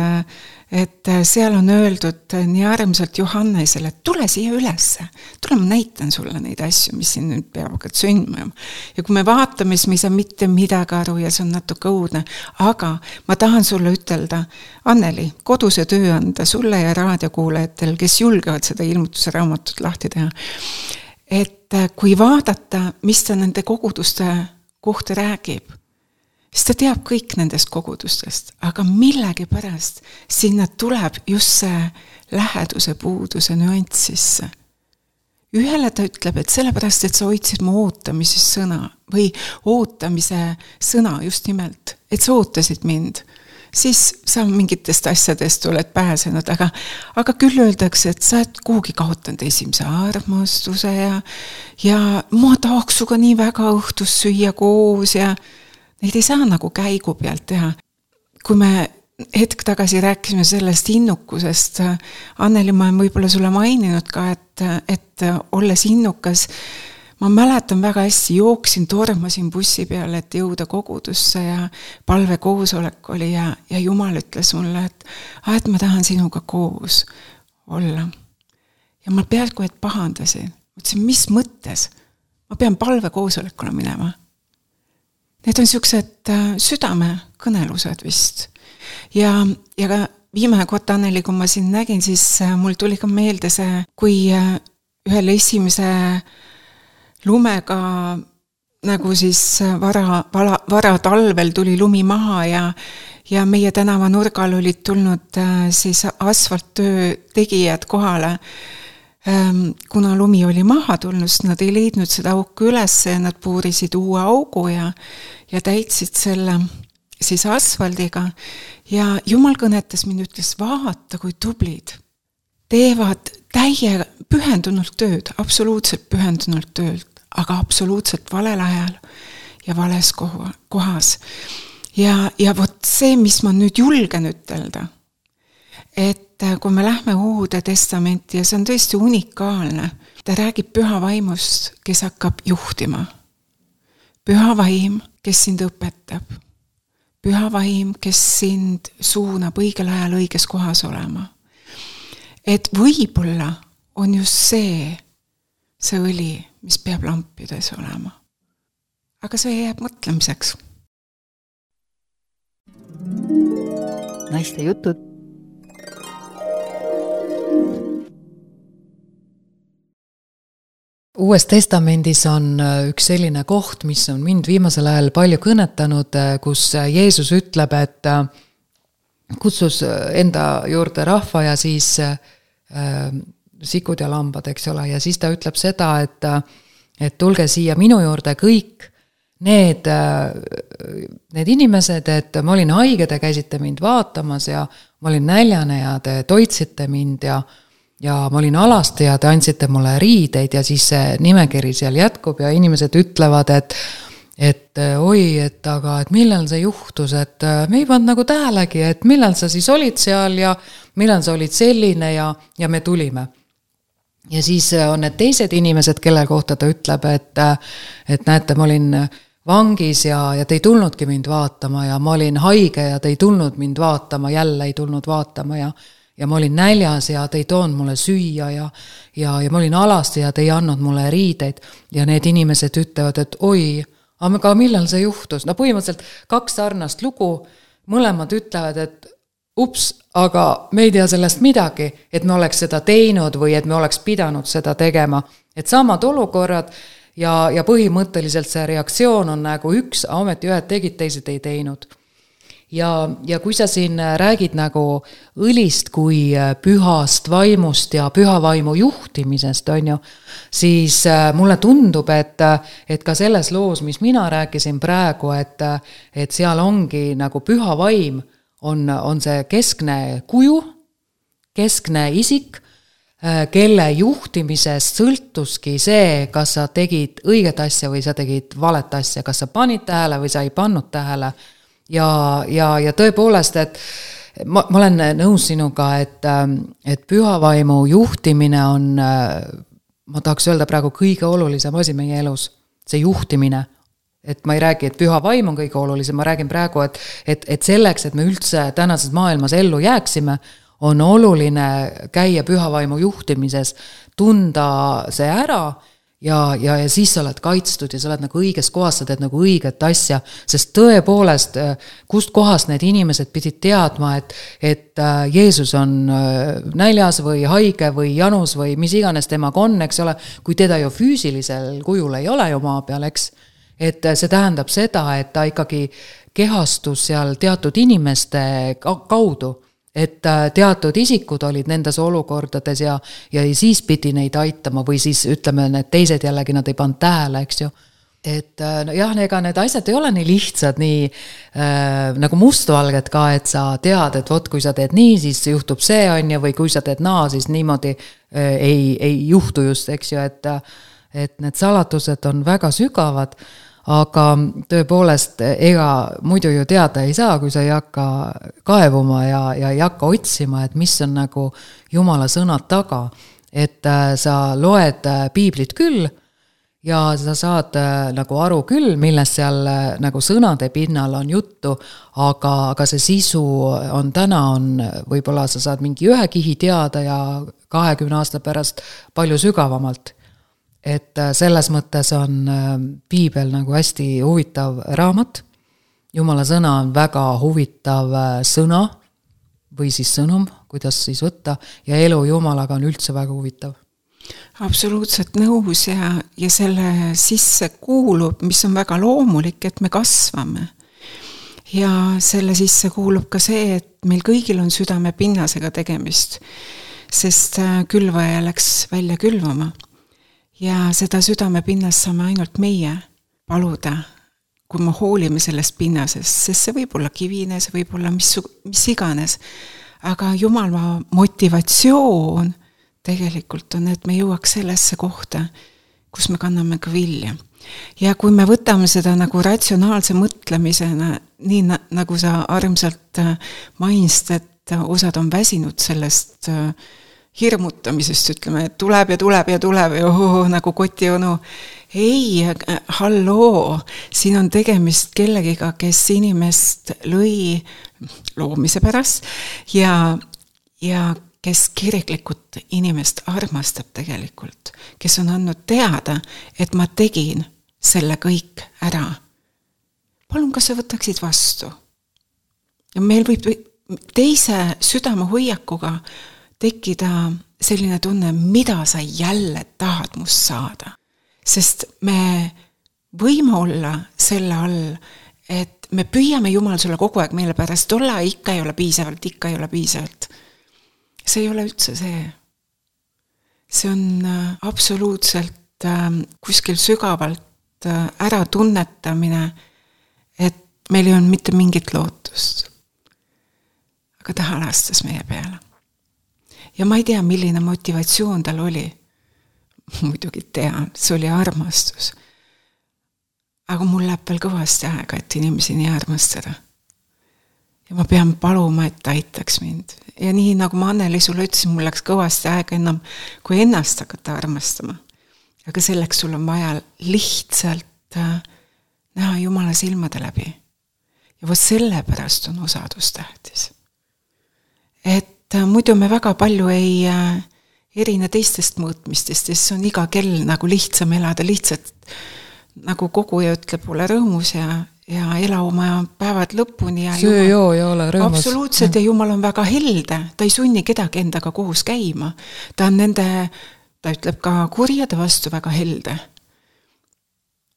[SPEAKER 3] et seal on öeldud nii armsalt Johannesele, et tule siia ülesse, tule ma näitan sulle neid asju, mis siin nüüd peavad sündma. Ja kui me vaatame, siis me ei saa mitte midagi aru ja see on natuke õudne, aga ma tahan sulle ütelda, Anneli, koduse töö anda sulle ja raadiokuulajatel, kes julgevad seda ilmutuse raamatut lahti teha, et kui vaadata, mis ta nende koguduste kohta räägib, siis ta teab kõik nendest kogudustest, aga millegi pärast sinna tuleb just see läheduse puuduse nüanss sisse. Ühele ta ütleb, et sellepärast, et sa hoidsid mu ootamise sõna või ootamise sõna just nimelt, et sa ootasid mind, siis sa mingitest asjadest oled pääsenud, aga, aga küll öeldakse, et sa oled kuhugi kaotanud esimese armastuse ja, ja ma tahaks suga nii väga õhtus süüa koos ja neid ei saa nagu käigu pealt teha. Kui me hetk tagasi rääkisime sellest innukusest, Anneli, ma olen võib-olla sulle maininud ka, et, et olles innukas, ma mäletan väga hästi, jooksin, tormasin bussi peale, et jõuda kogudusse ja palvekoosolek oli ja, ja Jumal ütles mulle, et, et ma tahan sinuga koos olla. Ja ma peaaegu et pahandasin. Mõtlesin, mis mõttes? Ma pean palvekoosolekule minema. Need on siuksed südame kõnelused vist. Ja, ja ka viimane kord, Anneli, kui ma siin nägin, siis mul tuli ka meelde see, kui ühel esimese lumega nagu siis vara, vara, vara talvel tuli lumi maha ja, ja meie tänava nurgal olid tulnud siis asfalttöö tegijad kohale. Kuna lumi oli maha tulnud, nad ei leidnud seda auku üles ja nad puurisid uue augu ja, ja täitsid selle siis asfaldiga ja Jumal kõnetas mind, ütles, vaata kui tublid. Teevad täie pühendunult tööd, absoluutselt pühendunult tööd, aga absoluutselt valel ajal ja vales kohas. Ja, ja vot see, mis ma nüüd julgen ütelda, et kui me lähme Uude Testamenti ja see on tõesti unikaalne, ta räägib püha vaimust, kes hakkab juhtima. Püha vaim, kes sind õpetab. Püha vaim, kes sind suunab õigel ajal õiges kohas olema. Et võib-olla on just see, see õli, mis peab lampides olema. Aga see jääb mõtlemiseks.
[SPEAKER 4] Naiste jutud.
[SPEAKER 2] Uues testamendis on üks selline koht, mis on mind viimasel ajal palju kõnetanud, kus Jeesus ütleb, et kutsus enda juurde rahva ja siis äh, sikud ja lambad, eks ole, ja siis ta ütleb seda, et, et tulge siia minu juurde kõik need, need inimesed, et ma olin haige, te käisite mind vaatamas ja ma olin näljane ja te toitsite mind ja ja ma olin alasti ja te andsite mulle riideid ja siis see nimekiri seal jätkub ja inimesed ütlevad, et et oi, et aga et millal see juhtus, et me ei pannud nagu tähelegi, et millal sa siis olid seal ja millal sa olid selline ja, ja me tulime. Ja siis on need teised inimesed, kelle kohta ta ütleb, et, et näete, ma olin vangis ja, ja te ei tulnudki mind vaatama ja ma olin haige ja te ei tulnud mind vaatama, jälle ei tulnud vaatama ja ja ma olin näljas ja te ei toonud mulle süüa ja, ja, ja ma olin alasti ja te ei andnud mulle riideid ja need inimesed ütlevad, et oi, aga millal see juhtus? No põhimõtteliselt kaks sarnast lugu, mõlemad ütlevad, et ups, aga me ei tea sellest midagi, et me oleks seda teinud või et me oleks pidanud seda tegema. Et samad olukorrad ja, ja põhimõtteliselt see reaktsioon on nagu üks, ometi ühed tegid, teised ei teinud. Ja, ja kui sa siin räägid nagu õlist kui pühast vaimust ja püha vaimu juhtimisest, on ju, siis mulle tundub, et, et ka selles loos, mis mina rääkisin praegu, et, et seal ongi nagu püha vaim, on, on see keskne kuju, keskne isik, kelle juhtimisest sõltuski see, kas sa tegid õiget asja või sa tegid valet asja, kas sa panid tähele või sa ei pannud tähele. Ja, ja, ja tõepoolest, et ma, ma olen nõus sinuga, et, et püha vaimu juhtimine on, ma tahaks öelda praegu kõige olulisem asi meie elus, see juhtimine. Et ma ei räägi, et püha vaim on kõige olulisem, ma räägin praegu, et, et, et selleks, et me üldse tänases maailmas ellu jääksime, on oluline käia püha vaimu juhtimises, tunda see ära, Ja, ja, ja siis sa oled kaitstud ja sa oled nagu õiges kohas, sa teed nagu õiget asja, sest tõepoolest, kust kohast need inimesed pidid teadma, et, et Jeesus on näljas või haige või janus või mis iganes temaga on, eks ole, kui teda ju füüsilisel kujul ei ole ju maa peal, eks, et see tähendab seda, et ta ikkagi kehastus seal teatud inimeste kaudu, et teatud isikud olid nendes olukordades ja, ja siis pidi neid aitama või siis ütleme, need teised jällegi nad ei pannud tähele, eks ju. Et no jah, ega need asjad ei ole nii lihtsad, nii äh, nagu mustvalged ka, et sa tead, et vot kui sa teed nii, siis juhtub see on ja või kui sa teed naa, siis niimoodi äh, ei, ei juhtu just, eks ju, et, et need salatused on väga sügavad, aga tõepoolest ega muidu ju teada ei saa, kui sa ei hakka kaevuma ja, ja ei hakka otsima, et mis on nagu Jumala sõnad taga. Et sa loed piiblit küll ja sa saad äh, nagu aru küll, millest seal äh, nagu sõnade pinnal on juttu, aga, aga see sisu on täna, on võib-olla sa saad mingi ühe kihi teada ja kahekümne aasta pärast palju sügavamalt. Et äh, selles mõttes on äh, piibel nagu hästi huvitav raamat. Jumala sõna on väga huvitav äh, sõna või siis sõnum, kuidas siis võtta, ja elu Jumalaga on üldse väga huvitav.
[SPEAKER 3] Absoluutselt nõus ja, ja selle sisse kuulub, mis on väga loomulik, et me kasvame. Ja selle sisse kuulub ka see, et meil kõigil on südame pinnasega tegemist, sest külvaja läks välja külvama. Ja seda südame pinnast saame ainult meie paluda, kui me hoolime sellest pinnasest, sest see võib olla kivine, see võib olla mis, mis iganes. Aga Jumala motivatsioon tegelikult on, et me jõuaks sellesse kohta, kus me kanname ka vilja. Ja kui me võtame seda nagu ratsionaalse mõtlemisena, nii na, nagu sa armsalt mainist, et osad on väsinud sellest hirmutamisest, ütleme, et tuleb ja tuleb ja tuleb ja oh, nagu kotionu. Ei, halloo, siin on tegemist kellegiga, kes inimest lõi loomise pärast ja, ja kes kiriklikult inimest armastab tegelikult, kes on andnud teada, et ma tegin selle kõik ära. Palun, kas sa võtaksid vastu? Ja meil võib teise südame hoiakuga tekkida selline tunne, mida sa jälle tahad must saada. Sest me võime olla selle all, et me püüame Jumal sulle kogu aeg meile pärast olla, ikka ei ole piisavalt, ikka ei ole piisavalt. See ei ole üldse see. See on absoluutselt kuskil sügavalt ära tunnetamine, et meil ei on mitte mingit lootust. Aga ta halastas meie peale. Ja ma ei tea, milline motivatsioon tal oli. Muidugi tean, see oli armastus. Aga mul läheb veel kõvasti aega, et inimesi nii armastada. Ja ma pean paluma, et ta aitaks mind. Ja nii nagu ma Anneli sulle ütlesin, mul läks kõvasti aega enam, kui ennast hakata armastama. Aga selleks sul on vaja lihtsalt näha Jumala silmade läbi. Ja võt selle pärast on osadus tähtis. Et muidu me väga palju ei erine teistest mõõtmistest, sest on iga kell nagu lihtsam elada, lihtsalt nagu koguja ütleb, ole rõõmus ja, ja ela oma päevad lõpuni. Ja
[SPEAKER 2] söö joo ja ole rõõmus.
[SPEAKER 3] Absoluutselt, ja Jumal on väga helde, ta ei sunni kedagi endaga koos käima. Ta on nende, ta ütleb ka kurjade vastu väga helde.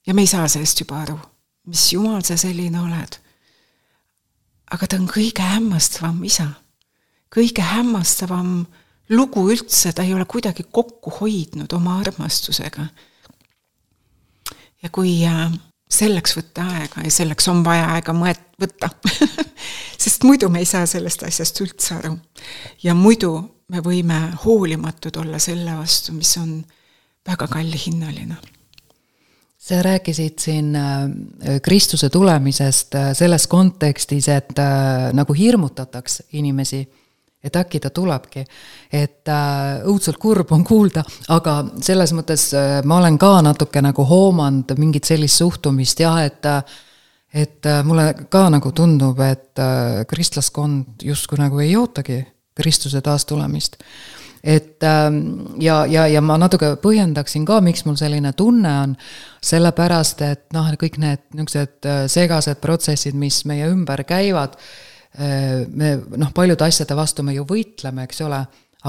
[SPEAKER 3] Ja me ei saa sellest juba aru, mis Jumal sa selline oled. Aga ta on kõige hämmastavam isa. Kõige hämmastavam lugu üldse, ta ei ole kuidagi kokku hoidnud oma armastusega. Ja kui selleks võtta aega, ja selleks on vaja aega mõet võtta, sest muidu me ei saa sellest asjast üldse aru. Ja muidu me võime hoolimatud olla selle vastu, mis on väga kalli hinnaline.
[SPEAKER 2] Sa rääkisid siin Kristuse tulemisest selles kontekstis, et nagu hirmutataks inimesi, et äkki ta tulebki, et äh, õudselt kurb on kuulda, aga selles mõttes äh, ma olen ka natuke nagu hoomanud mingit sellist suhtumist, jah, et, et äh, mulle ka nagu tundub, et äh, kristlaskond justkui nagu ei ootagi Kristuse taastulemist. Et äh, ja, ja, ja ma natuke põhjendaksin ka, miks mul selline tunne on, sellepärast, et noh, kõik need niisugused segased protsessid, mis meie ümber käivad, me, noh, paljud asjade vastu me ju võitleme, eks ole,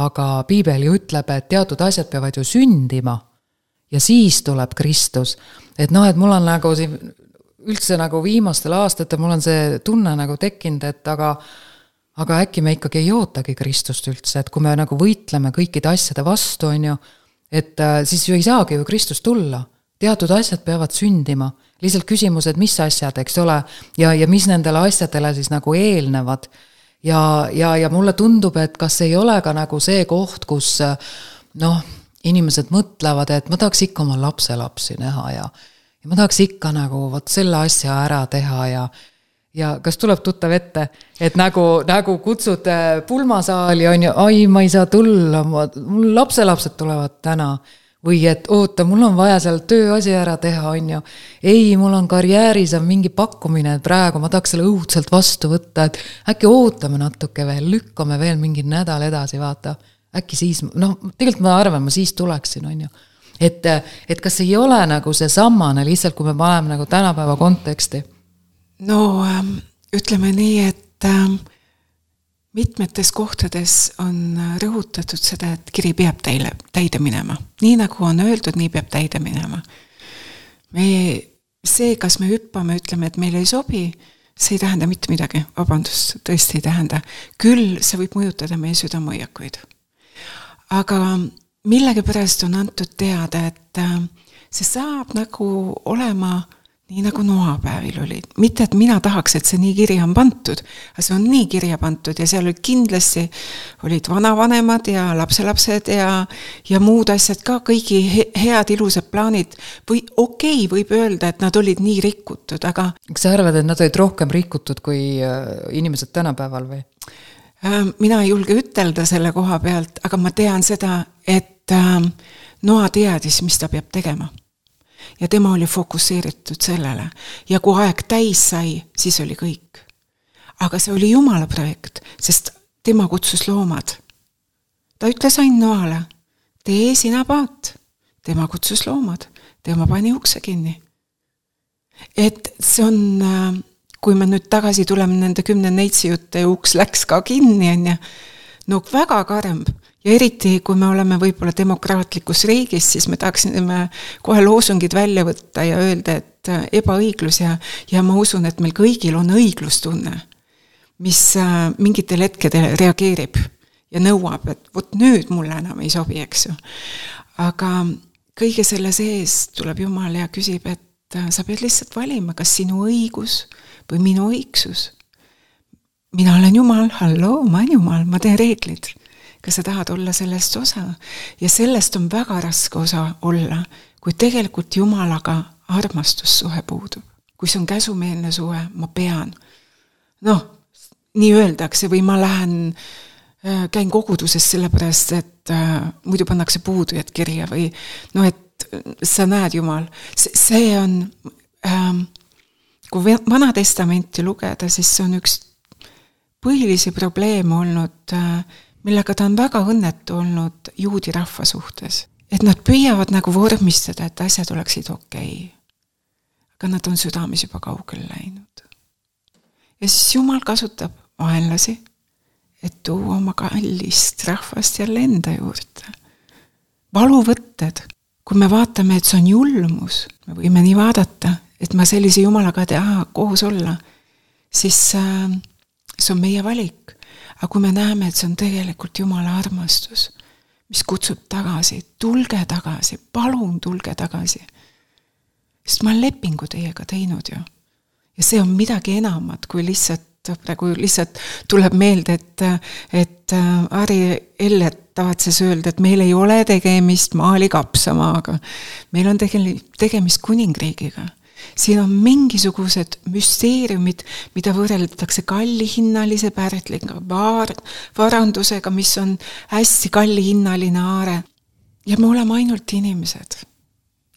[SPEAKER 2] aga piibel ju ütleb, et teatud asjad peavad ju sündima ja siis tuleb Kristus. Et noh, et mul on nagu siin üldse nagu viimastel aastatel mul on see tunne nagu tekkinud, et aga, aga äkki me ikkagi ei ootagi Kristust üldse, et kui me nagu võitleme kõikide asjade vastu, on ju, et siis ju ei saagi ju Kristust tulla. Teatud asjad peavad sündima. Lihtsalt küsimus, et mis asjad, eks ole, ja, ja mis nendele asjadele siis nagu eelnevad. Ja, ja, ja mulle tundub, et kas ei ole ka nagu see koht, kus noh, inimesed mõtlevad, et ma tahaks ikka oma lapse lapsi näha ja, ja ma tahaks ikka nagu võt selle asja ära teha ja, ja kas tuleb tuttav ette, et nagu, nagu kutsud pulmasaali on ju, ai, ma ei saa tulla, mul lapselapsed tulevad täna. või et oota, mul on vaja seal tööasi ära teha, on ju. Ei, mul on karjääris on mingi pakkumine, et praegu ma tahaks selle õudselt vastu võtta, et äkki ootame natuke veel, lükkame veel mingi nädal edasi, vaata. Äkki siis, noh, tegelikult ma arvan, ma siis tuleksin, on ju. Et, et kas ei ole nagu see sammane lihtsalt, kui me paneme nagu tänapäeva konteksti?
[SPEAKER 3] No ütleme nii, et mitmetes kohtades on rõhutatud seda, et kiri peab täile, täide minema. Nii nagu on öeldud, nii peab täide minema. Me, see, kas me hüppame, ütleme, et meil ei sobi, see ei tähenda mitte midagi. Vabandust, tõesti ei tähenda. Küll see võib mõjutada meie südamoiakuid. Aga millegi pärast on antud teada, et see saab nagu olema nii nagu noapäevil oli. Mitte, et mina tahaks, et see nii kirja on pantud, aga see on nii kirja pantud ja seal olid kindlasti olid vanavanemad ja lapselapsed ja, ja muud asjad ka, kõigi head ilusad plaanid. Või okei, okay, võib öelda, et nad olid nii rikutud, aga...
[SPEAKER 2] Kas sa arvad, et nad olid rohkem rikutud kui inimesed tänapäeval või?
[SPEAKER 3] Mina ei julge ütelda selle koha pealt, aga ma tean seda, et noa teadis, mis ta peab tegema. Ja tema oli fokuseeritud sellele. Ja kui aeg täis sai, siis oli kõik. Aga see oli Jumala projekt, sest tema kutsus loomad. Ta ütles ain noale, tee sina paat. Tema kutsus loomad, tema pani ukse kinni. Et see on, kui me nüüd tagasi tuleme nende kümne neitsi jutte ja uks läks ka kinni, on ja, no väga karm. Ja eriti, kui me oleme võib-olla demokraatlikus riigis, siis me tahaksime kohe loosungid välja võtta ja öelda, et ebaõiglus ja, ja ma usun, et meil kõigil on õiglustunne, mis mingitel hetkedel reageerib ja nõuab, et võt nüüd mulle enam ei sobi, eks ju. Aga kõige selle sees tuleb Jumal ja küsib, et sa pead lihtsalt valima, kas sinu õigus või minu õigsus. Mina olen Jumal, halloo, ma olen Jumal, ma teen reeglid. Kas sa tahad olla sellest osa? Ja sellest on väga raske osa olla, kui tegelikult Jumalaga armastussuhe puudub. Kui see on käsumeelne suhe, ma pean. Noh, nii öeldakse või ma lähen, käin koguduses sellepärast, et äh, muidu pannakse puudujad kirja või no, et sa näed Jumal. See on, äh, kui Vana Testamenti lugeda, siis see on üks põhilisi probleeme olnud äh, millega ta on väga õnnetu olnud juudi rahva suhtes. Et nad püüavad nagu vormistada, et asjad oleksid okei. Aga nad on südames juba kaugel läinud. Ja siis Jumal kasutab vaenlasi, et tuua oma kallist rahvast jälle enda juurde. Valuvõtted. Kui me vaatame, et see on julmus, me võime nii vaadata, et ma sellise Jumalaga teha koos olla, siis äh, see on meie valik. Aga kui me näeme, et see on tegelikult Jumala armastus, mis kutsub tagasi, tulge tagasi, palun tulge tagasi. Sest ma olen lepingu teiega teinud ju. Ja see on midagi enamat, kui lihtsalt, praegu lihtsalt tuleb meelde, et, et Ari Ellet tavatses öelda, et meil ei ole tegemist maali kapsamaaga. Meil on tegemist kuningriigiga. Siin on mingisugused müsteeriumid, mida võrreldatakse kallihinnalise pärtliga, var, varandusega, mis on hästi kallihinnaline aare. Ja me oleme ainult inimesed.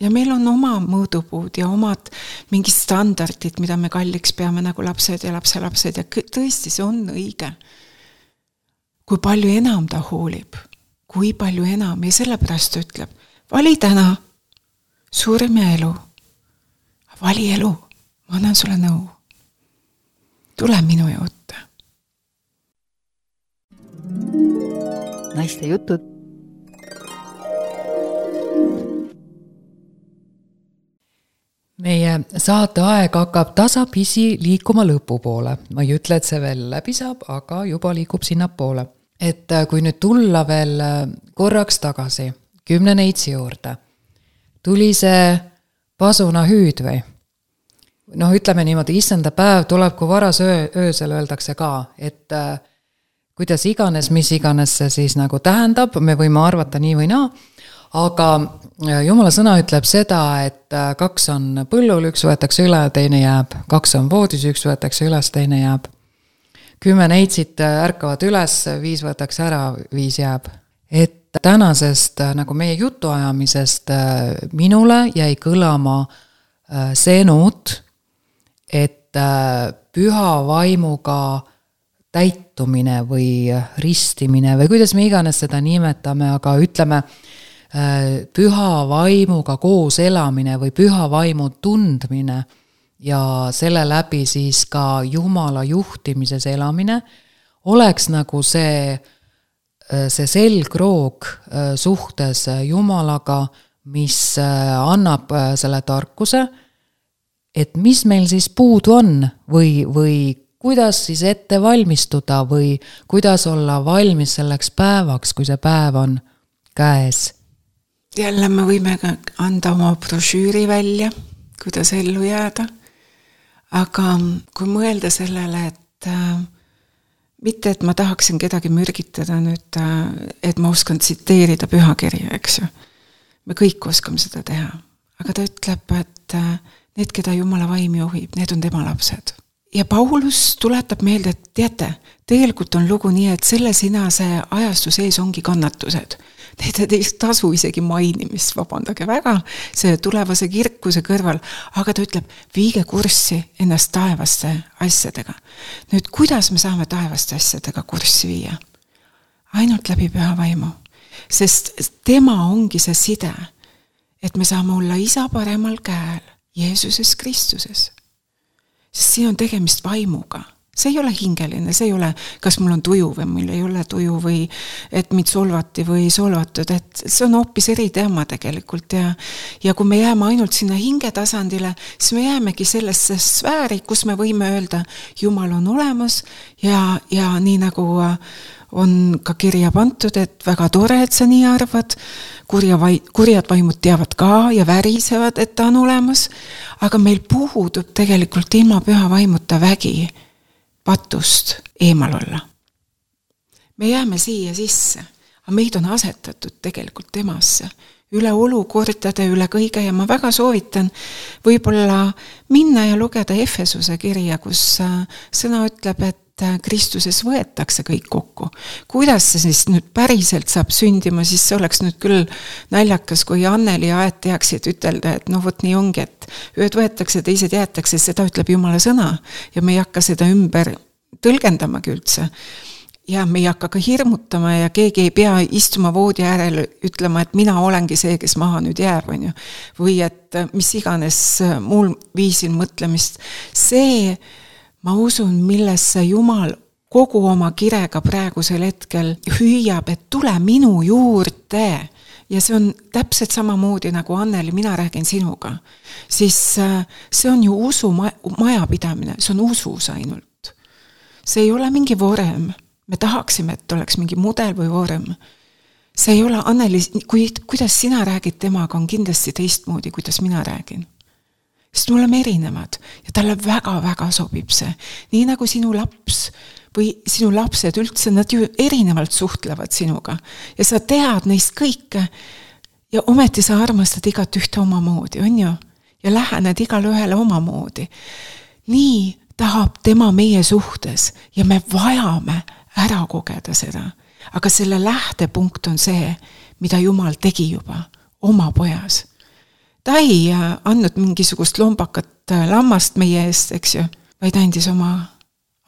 [SPEAKER 3] Ja meil on oma mõõdupuud ja omad mingid standardid, mida me kalliks peame nagu lapsed ja lapselapsed ja tõesti see on õige. Kui palju enam ta hoolib, kui palju enam ja sellepärast ütleb, vali täna surm ja elu. Vali elu, ma annan sulle nõu. Tule minu juurde.
[SPEAKER 2] Naiste jutud. Meie saate aeg hakkab tasapisi liikuma lõpu poole. Ma ei ütle, et see veel läbi saab, aga juba liikub sinna poole. Et kui nüüd tulla veel korraks tagasi kümne neitsi juurde, tuli see pasuna hüüd või? Noh, ütleme niimoodi, issanda päev tuleb, kui varas öö, öösel öeldakse ka, et äh, kuidas iganes, mis iganes see siis nagu tähendab, me võime arvata nii või naa, aga Jumala sõna ütleb seda, et äh, kaks on põllul, üks võetakse üle, teine jääb, kaks on voodis, üks võetakse üles, teine jääb. Kümme neitsit ärkavad üles, viis võetakse ära, viis jääb. Et tänasest nagu meie jutuajamisest minule jäi kõlama see noot, et püha vaimuga täitumine või ristimine või kuidas me iganes seda nimetame, aga ütleme püha vaimuga koos elamine või püha vaimu tundmine ja selle läbi siis ka Jumala juhtimises elamine oleks nagu see, see selgroog suhtes Jumalaga, mis annab selle tarkuse, et mis meil siis puudu on või, või kuidas siis ette valmistuda või kuidas olla valmis selleks päevaks, kui see päev on käes.
[SPEAKER 3] Jälle me võime anda oma brošüüri välja, kuidas ellu jääda, aga kui mõelda sellele, et äh, mitte, et ma tahaksin kedagi mürgitada nüüd, äh, et ma oskan tsiteerida pühakirja, eks ju. Me kõik oskame seda teha, aga ta ütleb, et äh, need, keda Jumala vaim juhib, need on tema lapsed. Ja Paulus tuletab meelde, et teate, tegelikult on lugu nii, et selle sinase ajastu sees ongi kannatused. Need ei tasu isegi mainimist, vabandage väga, see tulevase kirkuse kõrval, aga ta ütleb, viige kurssi ennast taevaste asjadega. Nüüd, kuidas me saame taevaste asjadega kurssi viia? Ainult läbi püha vaimu, sest tema ongi see side, et me saame olla isa paremal käel Jeesuses Kristuses. Sest siin on tegemist vaimuga. See ei ole hingeline, see ei ole, kas mul on tuju või mul ei ole tuju või et mind solvati või solvatud, et see on hoopis eri teema tegelikult ja, ja kui me jääme ainult sinna hingetasandile, siis me jäämegi sellesse sfääri, kus me võime öelda, Jumal on olemas ja, ja nii nagu on ka kirja pantud, et väga tore, et sa nii arvad, kurja vai, kurjad vaimud teavad ka ja värisevad, et ta on olemas, aga meil puhudub tegelikult ilma püha vaimuta vägi patust eemal olla. Me jääme siia sisse, aga meid on asetatud tegelikult temasse, üle olukordade, üle kõige ja ma väga soovitan võib-olla minna ja lugeda Efesuse kirja, kus sõna ütleb, et Kristuses võetakse kõik kokku. Kuidas see siis nüüd päriselt saab sündima, siis see oleks nüüd küll naljakas, kui Anneli ja Aet teaksid ütelda, et no vot nii ongi, et ühed võetakse, teised jäetakse, seda ütleb Jumala sõna ja me ei hakka seda ümber tõlgendamagi üldse. Ja me ei hakka ka hirmutama ja keegi ei pea istuma voodi äärel ütlema, et mina olengi see, kes maha nüüd jääb, on ju. Või et mis iganes muul viisil mõtlemist. See ma usun, millesse Jumal kogu oma kirega praegusel hetkel hüüab, et tule minu juurde. Ja see on täpselt samamoodi nagu Anneli, mina räägin sinuga. Siis see on ju usu majapidamine, see on usus ainult. See ei ole mingi vorem. Me tahaksime, et oleks mingi mudel või vorem. See ei ole, Anneli, kui, kuidas sina räägid temaga, on kindlasti teistmoodi, kuidas mina räägin. Sest me oleme erinevad ja talle väga-väga sobib see. Nii nagu sinu laps või sinu lapsed üldse, nad ju erinevalt suhtlevad sinuga. Ja sa tead neist kõike ja ometi sa armastad igat ühte omamoodi, on ju? Ja lähened igale ühele omamoodi. Nii tahab tema meie suhtes ja me vajame ära kogeda seda. Aga selle lähtepunkt on see, mida Jumal tegi juba oma pojas. Ta ei andnud mingisugust lombakat lammast meie eest, eks ju, vaid andis oma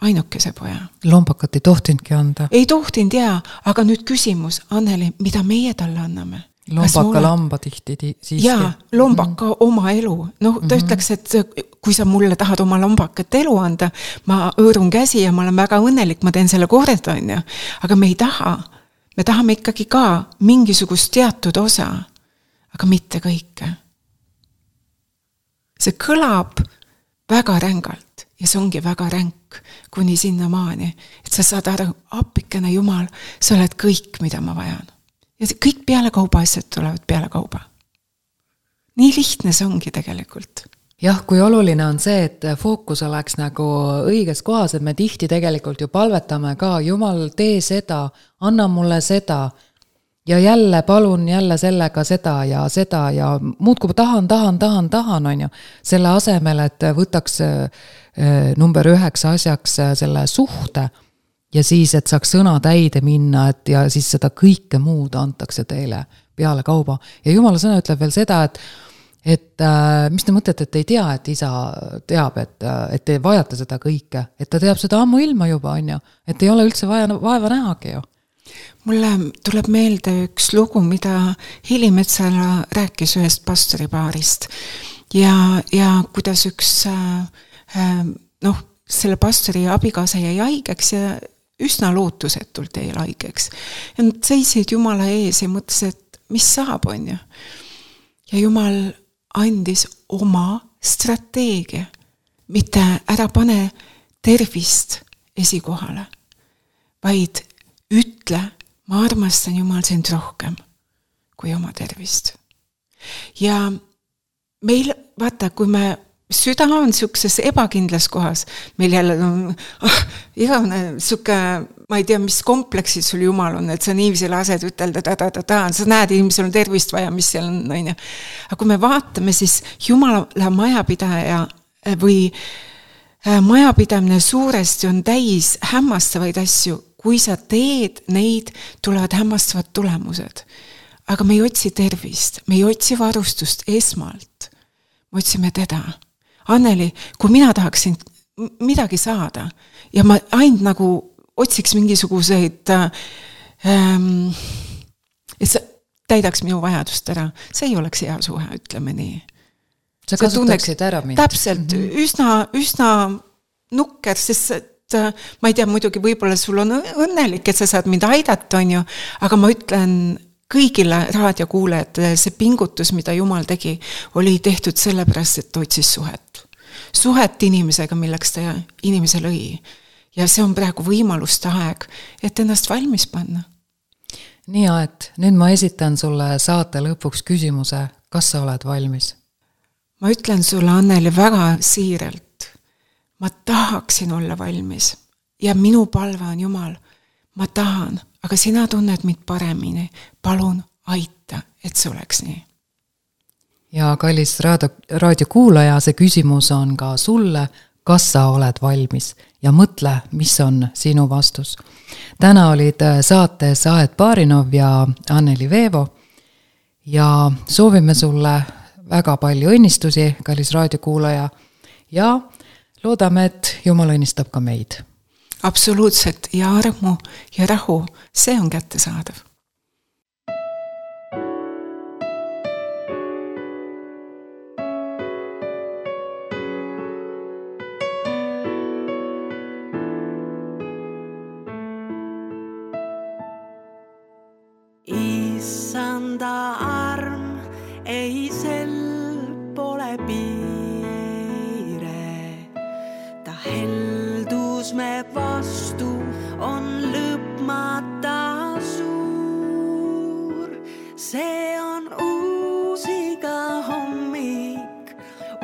[SPEAKER 3] ainukese poja.
[SPEAKER 2] Lombakat ei tohtindki anda.
[SPEAKER 3] Ei tohtind, jaa, aga nüüd küsimus, Anneli, mida meie talle anname?
[SPEAKER 2] Lombaka lamba tihti siiski.
[SPEAKER 3] Jaa, lombaka mm-hmm. oma elu. No ta mm-hmm. ütleks, et kui sa mulle tahad oma lombakat elu anda, ma õõrun käsi ja ma olen väga õnnelik, ma teen selle korda, on ju. Aga me ei taha. Me tahame ikkagi ka mingisugust teatud osa, aga mitte kõike. See kõlab väga rängalt ja see ongi väga ränk kuni sinna maani, et sa saad aru, appikene Jumal, sa oled kõik, mida ma vajan. Ja kõik peale kauba asjad tulevad peale kauba. Nii lihtne see ongi tegelikult.
[SPEAKER 2] Jah, kui oluline on see, et fookus oleks nagu õiges kohas, et me tihti tegelikult ju palvetame ka, Jumal, tee seda, anna mulle seda, ja jälle palun jälle sellega seda ja seda ja muudkui tahan, tahan, tahan, tahan, on ju. Selle asemel, et võtaks number üheksa asjaks selle suhte ja siis, et saaks sõna täide minna, et ja siis seda kõike muud antakse teile peale kauba. Ja Jumala sõna ütleb veel seda, et, et äh, mis te mõtlete, et ei tea, et isa teab, et, et te vajate seda kõike, et ta teab seda ammu ilma juba, on ju, et ei ole üldse vaja vaeva nähagi ju.
[SPEAKER 3] Mulle tuleb meelde üks lugu, mida Heli Metsala rääkis ühest pastoripaarist ja, ja kuidas üks äh, noh, selle pastori abikaasa jäi haigeks ja üsna lootusetult jäi haigeks. Ja nad seisid Jumala ees ja mõtles, et mis saab, on ju. Ja Jumal andis oma strateegia, mitte ära pane tervist esikohale, vaid ütle, ma armastan Jumal sind rohkem kui oma tervist. Ja meil, vaata, kui me süda on niisuguses ebakindlas kohas, meil jälle on oh, igavene niisugune, ma ei tea, mis kompleksid sul Jumal on, et sa niiviisi lased ütelda, ta, ta, ta, ta, sa näed, inimesel on tervist vaja, mis seal on, on ja. Aga kui me vaatame, siis Jumala majapidaja või majapidamine suuresti on täis hämmastavaid asju, kui sa teed neid, tulevad hämmastavad tulemused. Aga me ei otsi tervist, me ei otsi varustust esmalt, me otsime teda. Anneli, kui mina tahaksin midagi saada ja ma ainult nagu otsiks mingisuguseid ähm, et see täidaks minu vajadust ära, see ei oleks hea suhe, ütleme nii.
[SPEAKER 2] Sa kasutaksid ära mind.
[SPEAKER 3] Täpselt, mm-hmm. üsna, üsna nukker, sest et ma ei tea, muidugi võib-olla sul on õnnelik, et sa saad mind aidata, on ju, aga ma ütlen kõigile raadiokuulajatele, see pingutus, mida Jumal tegi, oli tehtud sellepärast, et otsis suhet. Suhet inimesega, milleks ta inimese lõi. Ja see on praegu võimaluste aeg, et ennast valmis panna.
[SPEAKER 2] Nii, et nüüd ma esitan sulle saate lõpuks küsimuse, kas sa oled valmis?
[SPEAKER 3] Ma ütlen sulle, Anneli, väga siiralt. Ma tahaksin olla valmis. Ja minu palve on Jumal, ma tahan, aga sina tunned mind paremini. Palun aita, et see oleks nii.
[SPEAKER 2] Ja kallis raadio, raadiokuulaja, see küsimus on ka sulle, kas sa oled valmis ja mõtle, mis on sinu vastus. Täna olid saates Aet Baarinov ja Anneli Veevo ja soovime sulle väga palju õnnistusi, kallis raadiokuulaja, ja loodame, et Jumal õnnistab ka meid.
[SPEAKER 3] Absoluutselt, ja armu ja rahu, see on kättesaadav.
[SPEAKER 4] Issanda arm ei sel pole piire, ta heldus me vastu on lõpmata suur. See on uus iga hommik,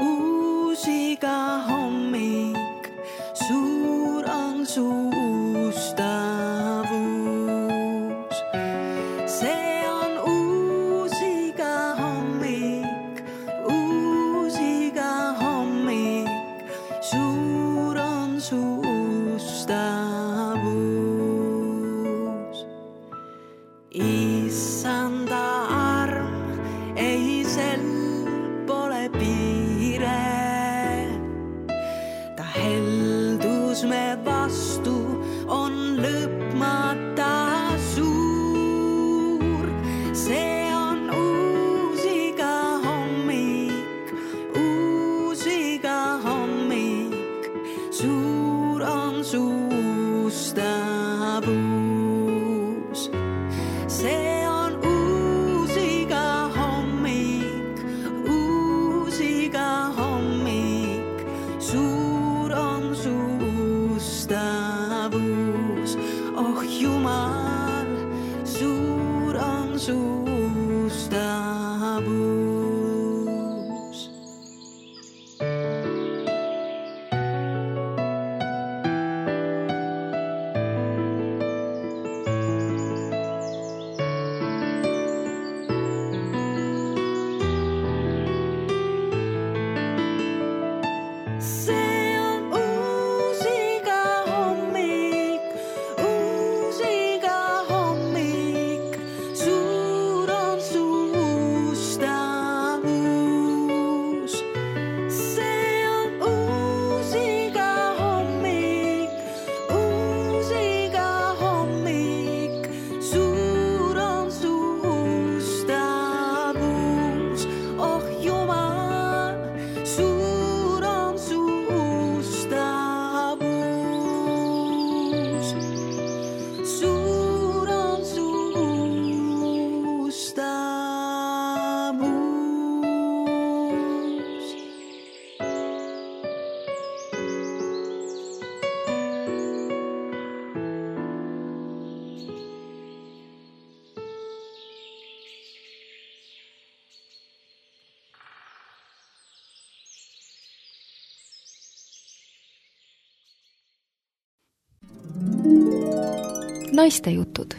[SPEAKER 4] uus iga hommik, suur on su ustavus. See on uus iga hommik, uus iga hommik, suur on su ustavus. Issanda arm ei sel pole piire, ta heldus me vastu on lõpmata suur. See on uus iga hommik, uus iga hommik, suur on su ustavus. See on uus iga hommik, uus iga hommik, suur on su ustavus. Oh Jumal, suur on su ustavus. See on uus iga hommik,
[SPEAKER 5] Naistejutud